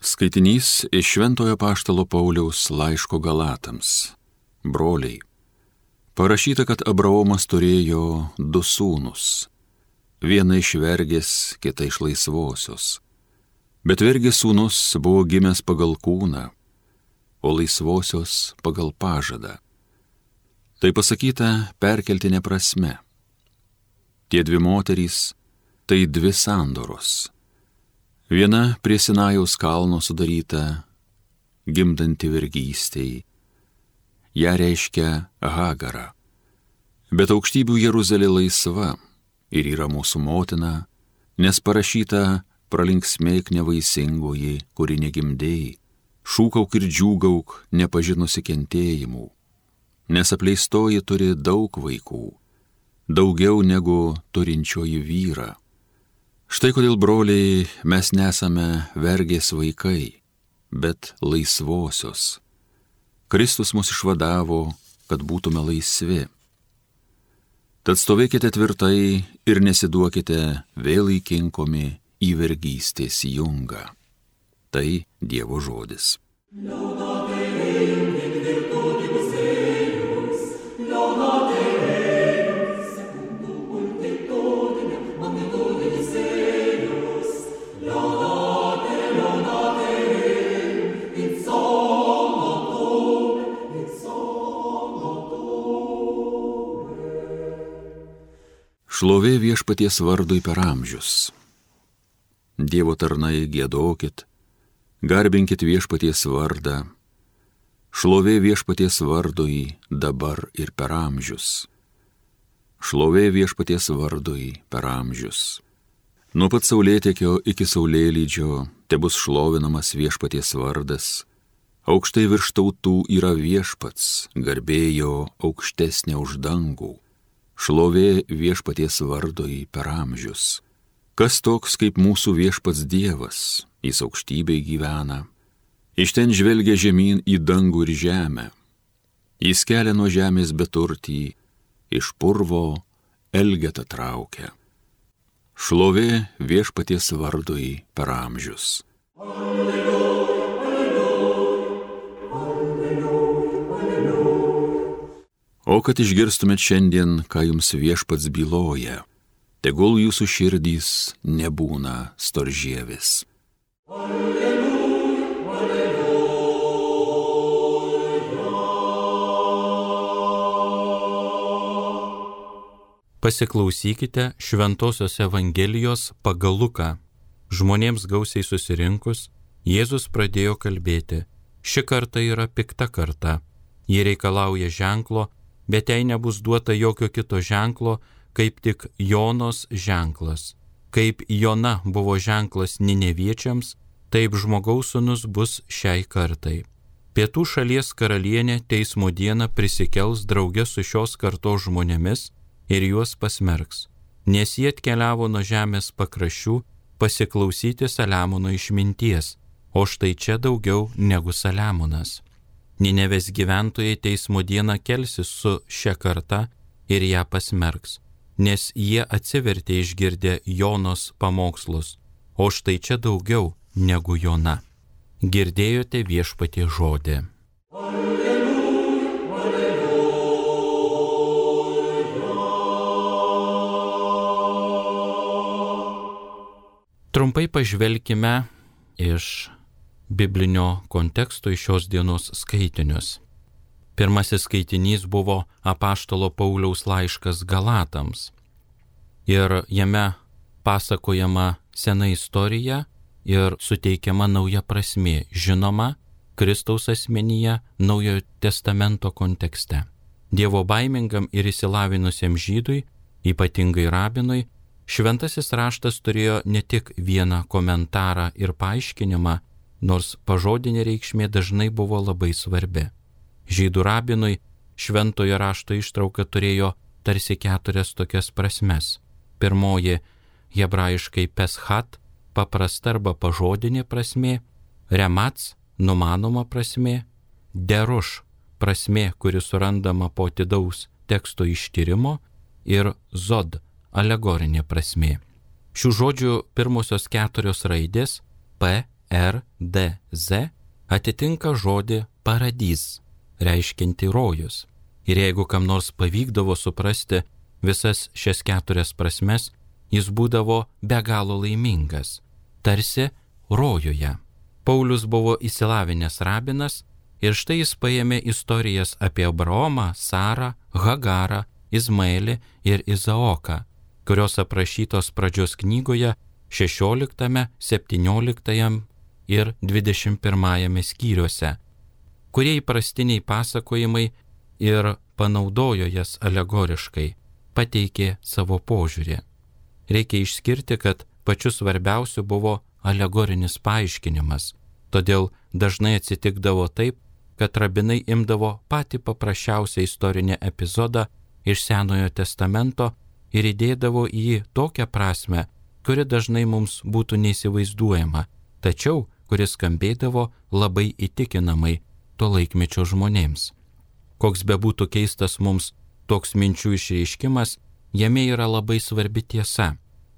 Skaitinys iš Šventojo Apaštalo Pauliaus laiško Galatams. Broliai, parašyta, kad Abraomas turėjo du sūnus. Vieną iš vergės, kitą iš laisvosios. Bet vergės sūnus buvo gimęs pagal kūną, o laisvosios pagal pažadą. Tai pasakyta perkeltinė prasme. Tie dvi moterys – tai dvi sandoros. Viena prie Sinajaus kalno sudaryta, gimdanti vergystei. Ja reiškia Hagarą. Bet aukštybių Jeruzalė laisva ir yra mūsų motina, nes parašyta pralinksmėk nevaisingoji, kuri negimdėjai, šūkauk ir džiūgauk nepažinusi kentėjimų, nes apleistoji turi daug vaikų, daugiau negu turinčioji vyrą. Štai kodėl, broliai, mes nesame vergės vaikai, bet laisvosios. Kristus mus išvadavo, kad būtume laisvi. Tad stovėkite tvirtai ir nesiduokite vėl įkinkomi į vergystės jungą. Tai Dievo žodis. Šlovė Viešpaties vardui per amžius. Dievo tarnai, giedokit, garbinkit Viešpaties vardą. Šlovė Viešpaties vardui dabar ir per amžius. Šlovė Viešpaties vardui per amžius. Nuo pat saulėtekio iki saulėlydžio tebus šlovinamas Viešpaties vardas. Aukštai virš tautų yra Viešpats, garbėjo aukštesnė už dangų. Šlovė Viešpaties vardui per amžius. Kas toks kaip mūsų Viešpats Dievas, jis aukštybėj gyvena. Iš ten žvelgia žemyn į dangų ir žemę. Jis kelia nuo žemės beturtį, iš purvo elgetą traukia. Šlovė Viešpaties vardui per amžius. O kad išgirstumėt šiandien, ką jums Viešpats byloja, tegul jūsų širdys nebūna storžievis. Alleluja, alleluja. Pasiklausykite Šventosios Evangelijos pagal Luką. Žmonėms gausiai susirinkus, Jėzus pradėjo kalbėti. Ši karta yra pikta karta. Ji reikalauja ženklo, bet jai nebus duota jokio kito ženklo, kaip tik Jonos ženklas. Kaip Jona buvo ženklas Nineviečiams, taip Žmogaus sūnus bus šiai kartai. Pietų šalies karalienė teismo dieną prisikels drauge su šios kartos žmonėmis ir juos pasmerks, nes jie atkeliavo nuo žemės pakraščių pasiklausyti Saliamono išminties, o štai čia daugiau negu Saliamonas. Ninevės gyventojai teismo dieną kelsis su šia karta ir ją pasmerks, nes jie atsivertė išgirdę Jonos pamokslus, o štai čia daugiau negu Jona. Girdėjote Viešpaties žodį. Alleluja, alleluja. Trumpai pažvelkime iš biblinio konteksto iš šios dienos skaitinius. Pirmasis skaitinys buvo Apaštalo Pauliaus laiškas Galatams. Ir jame pasakojama sena istorija ir suteikiama nauja prasmė, žinoma, Kristaus asmenyje Naujojo testamento kontekste. Dievo baimingam ir išsilavinusiam žydui, ypatingai rabinui, šventasis raštas turėjo ne tik vieną komentarą ir paaiškinimą, nors pažodinė reikšmė dažnai buvo labai svarbi. Žydų rabinui šventojo rašto ištrauka turėjo tarsi 4 tokias prasmes. Pirmoji – hebrajiškai peshat, paprasta arba pažodinė prasmė, remats, numanoma prasmė, deruš, prasmė, kuri surandama po atidaus teksto ištyrimo, ir zod, alegorinė prasmė. Šių žodžių pirmosios 4 raidės P, RDZ atitinka žodį paradis, reiškianti rojus. Ir jeigu kam nors pavykdavo suprasti visas šias 4 prasmes, jis būdavo be galo laimingas, tarsi rojuje. Paulius buvo išsilavinęs rabinas ir štai jis paėmė istorijas apie Abraomą, Sarą, Hagarą, Izmaelį ir Izaoką, kurios aprašytos pradžios knygoje 16, 17 ir 21 skyriuose, kurie įprastiniai pasakojimai ir panaudojo jas alegoriškai, pateikė savo požiūrį. Reikia išskirti, kad pačiu svarbiausiu buvo alegorinis paaiškinimas, todėl dažnai atsitikdavo taip, kad rabinai imdavo patį paprasčiausią istorinį epizodą iš Senojo testamento ir įdėdavo į jį tokią prasmę, kuri dažnai mums būtų neįsivaizduojama, tačiau kuris skambėdavo labai įtikinamai to laikmečio žmonėms. Koks bebūtų keistas mums toks minčių išreiškimas, jame yra labai svarbi tiesa.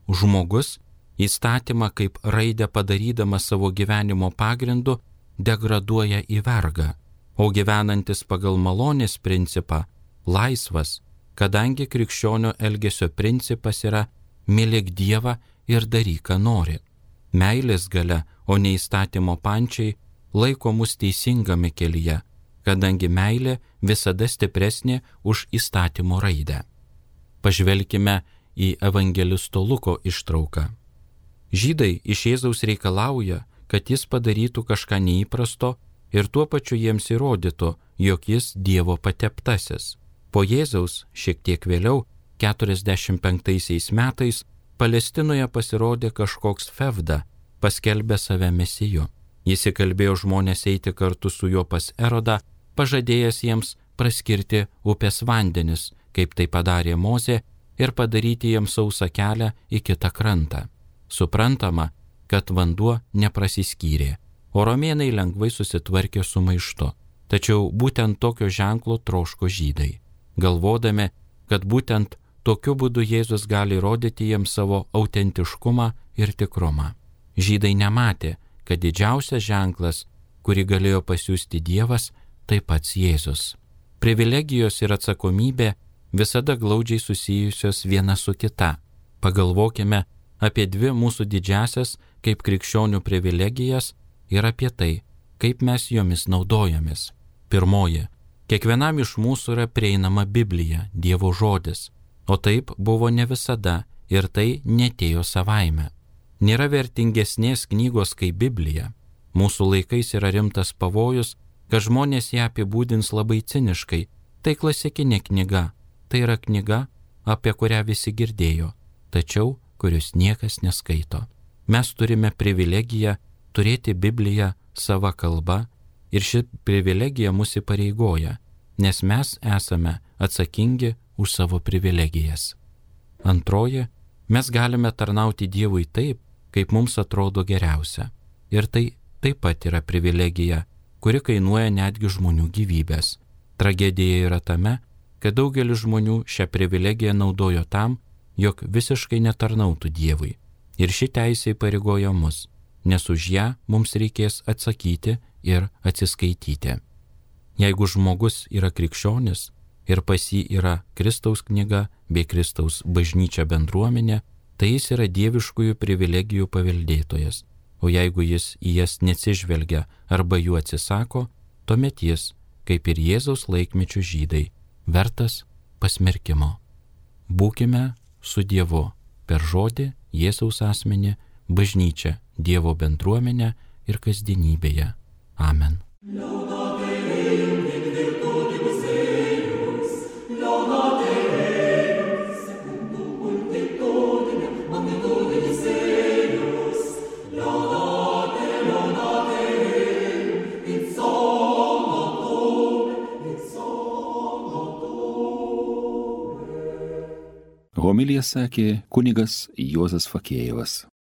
Žmogus įstatymą kaip raidę padarydamas savo gyvenimo pagrindu degraduoja į vergą, o gyvenantis pagal malonės principą laisvas, kadangi krikščionio elgesio principas yra mylėk Dievą ir daryk, ką nori. Meilės galia, o ne įstatymo pančiai, laiko mus teisingame kelyje, kadangi meilė visada stipresnė už įstatymo raidę. Pažvelkime į evangelisto Luko ištrauką. Žydai iš Jėzaus reikalauja, kad jis padarytų kažką neįprasto ir tuo pačiu jiems įrodytų, jog jis Dievo pateptasis. Po Jėzaus šiek tiek vėliau, 45 metais, Palestinoje pasirodė kažkoks Fevda, paskelbė save mesiju. Jis įkalbėjo žmonės eiti kartu su juo pas Erodą, pažadėjęs jiems praskirti upės vandenis, kaip tai padarė Mozė, ir padaryti jiems sausą kelią į kitą krantą. Suprantama, kad vanduo neprasiskyrė, o romėnai lengvai susitvarkė su maištu. Tačiau būtent tokio ženklo troško žydai, galvodami, kad būtent tokiu būdu Jėzus gali rodyti jiems savo autentiškumą ir tikrumą. Žydai nematė, kad didžiausias ženklas, kurį galėjo pasiųsti Dievas, tai pats Jėzus. Privilegijos ir atsakomybė visada glaudžiai susijusios viena su kita. Pagalvokime apie 2 mūsų didžiasias kaip krikščionių privilegijas ir apie tai, kaip mes jomis naudojamės. Pirmoji, kiekvienam iš mūsų yra prieinama Biblija, Dievo žodis, o taip buvo ne visada ir tai netėjo savaime. Nėra vertingesnės knygos kaip Biblija. Mūsų laikais yra rimtas pavojus, kad žmonės ją apibūdins labai ciniškai. Tai klasikinė knyga, tai yra knyga, apie kurią visi girdėjo, tačiau kurios niekas neskaito. Mes turime privilegiją turėti Bibliją sava kalba ir ši privilegija mus įpareigoja, nes mes esame atsakingi už savo privilegijas. Antroji, mes galime tarnauti Dievui taip, kaip mums atrodo geriausia. Ir tai taip pat yra privilegija, kuri kainuoja netgi žmonių gyvybės. Tragedija yra tame, kad daugelis žmonių šią privilegiją naudojo tam, jog visiškai netarnautų Dievui. Ir ši teisė įpareigoja mus, nes už ją mums reikės atsakyti ir atsiskaityti. Jeigu žmogus yra krikščionis ir pas jį yra Kristaus knyga bei Kristaus bažnyčia bendruomenė, tai jis yra dieviškųjų privilegijų paveldėtojas, o jeigu jis į jas neatsižvelgia arba jų atsisako, tuomet jis, kaip ir Jėzaus laikmečių žydai, vertas pasmerkimo. Būkime su Dievu per žodį, Jėzaus asmenį, bažnyčią, Dievo bendruomenę ir kasdienybėje. Amen. Homiliją sakė kunigas Juozas Fakėjevas.